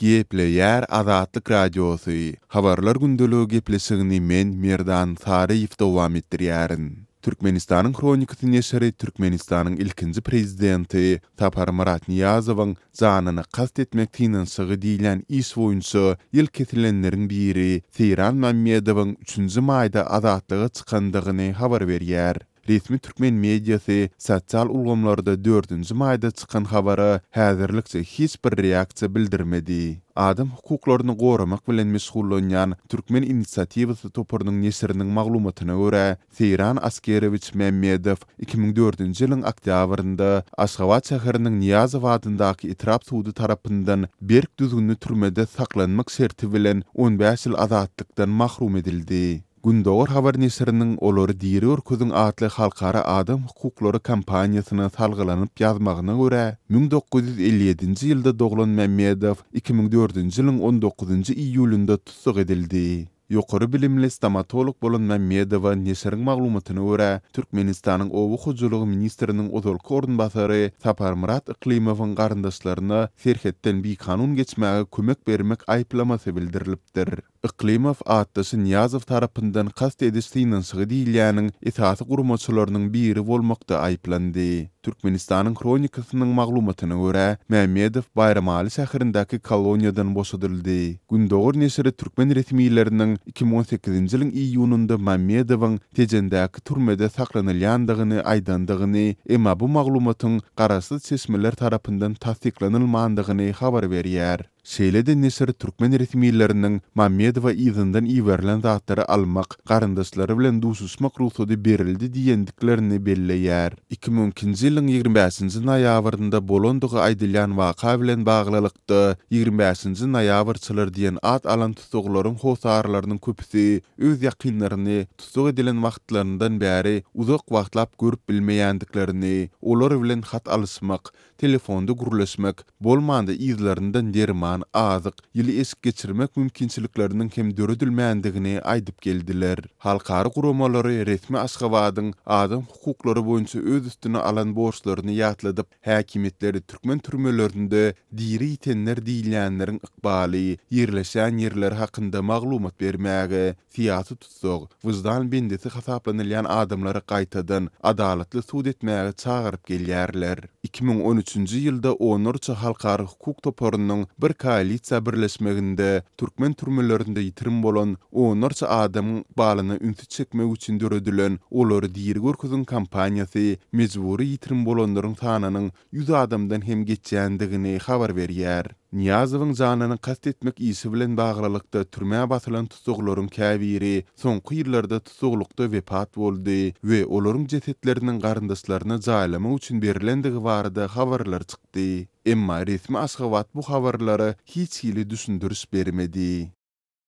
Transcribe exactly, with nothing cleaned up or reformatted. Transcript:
Gepleýär Azatlyk Radiosy, Habarlar gündeligi gepleşigini men, Merdan Saryýew dowam etdirýärin. Türkmenistanyň Hronikasy neşiri Türkmenistanyň ilkinji prezidenti Saparmyrat Nyýazowyň janyna kast etmek synanyşygy diýlen iş boýunça ýyl kesilenleriň biri Seýran Mämmedowyň üçünji maýda azatlyga çykandygyny habar berýär. Resmi türkmen mediasy sosial ulgamlarda dördünji maýda çykan habara häzirlikçe hiç bir reaksiýa bildirmedi. Adam hukuklaryny goramak bilen meşgullanýan Türkmen inisiatiwasy toparynyň neşiriniň maglumatyna görä, Seýran Askerowiç Mämmedow iki müň dördünji ýylyň oktýabrynda Aşgabat şäheriniň Nyýazow adyndaky etrap sudy tarapyndan berk düzgünli türmede saklanmak şerti bilen on bäş ýyl azatlykdan mahrum edildi. Gündogar habar neşiriniň Olary diri görkeziň atly halkara adam hukuklary kampaniýasyna salgylanyp ýazmagyna görä, müň dokuz ýüz elli ýedinji ýylda doglan Mämmedow iki müň dördünji ýylyň on dokuzynjy iýulynda tussag edildi. Ýokary bilimli stomatolog bolan Mämmedowa neşiriň maglumatyna görä, Türkmenistanyň Oba hojalygy ministriniň ozalky orunbasary Saparmyrat Yklymowyň garyndaşlaryna serhetden bikanun geçmäge kömek bermek aýyplamasy bildirilipdir. Yklymow atdaşy Nyýazow tarapyndan kast ediş synanyşygy diýilýäniň esasy guramaçylarynyň biri bolmakda aýyplandy. Türkmenistanyň Hronikasynyň maglumatyna görä, Mämmedow Baýramaly şäherindäki koloniýadan boşadyldy. Gündogar neşiri türkmen resmileriniň iki müň on sekizinji ýylyň iýunynda Mämmedowyň Tejendäki türmede saklanylýandygyny aýdandygyny, emma bu maglumatyň garaşsyz çeşmeler tarapyndan tassyklanylmandygyny habar berýär. Şeýle-de neşir türkmen resmileriniň Mämmedowa yzyndan iberilen zatlary almak, garyndaşlary bilen duşuşmak rugsady berildi diýendiklerini belleýär. Iki müň ikinji ýylyň ýigrimi bäşinji noýabrynda bolandygy aýdylýan waka bilen baglylykda ýigrimi bäşinji noýabrçylar diýen at alan tussaglaryň hossarlarynyň köpüsi öz ýakynlaryny tussag edilen wagtlaryndan bäri uzak wagtlap görüp bilmeýändiklerini, olar bilen hat alyşmak, telefonda gürleşmek, bolmanda yzlaryndan derman, azyk, ýyly eşik geçirmek mümkinçilikleriniň hem döredilmändigini aýdyp geldiler. Halkara guramalary resmi Aşgabadyň adam hukuklary boýunça öz üstüne alan borçlaryny ýatladyp, häkimiýetleri türkmen türmelerinde diri ýitenler diýilýänleriň ykbaly, ýerleşen ýerleri hakynda maglumat bermäge, syýasy tussag, wyždan bendisi hasaplanylýan adamlary gaýtadan adalatly sud etmäge çagyryp gelýärler. Iki müň on üçünji ýylda onlarça halkara hukuk toparynyň bir koalisiýa birleşmeginde türkmen türmelerinde ýitirim bolan onlarça adamyň ykbalyna ünsi çekmek üçin döredilen Olary diri görkeziň kampaniýasy mejbury ýitirim bolanlaryň sanynyň ýüz adamdan hem geçýändigini habar berýär. Nyýazowyň janyny kast etmek işi bilen baglylykda türmä basylan tussaglaryň käbiri soňky ýyllarda tussaglykda wepat boldy we olaryň jesetleriniň garyndaşlaryna jaýlamak üçin berilendigi barada habarlar çykdy. Emma resmi Aşgabat bu habarlara hiç hili düşündiriş bermedi.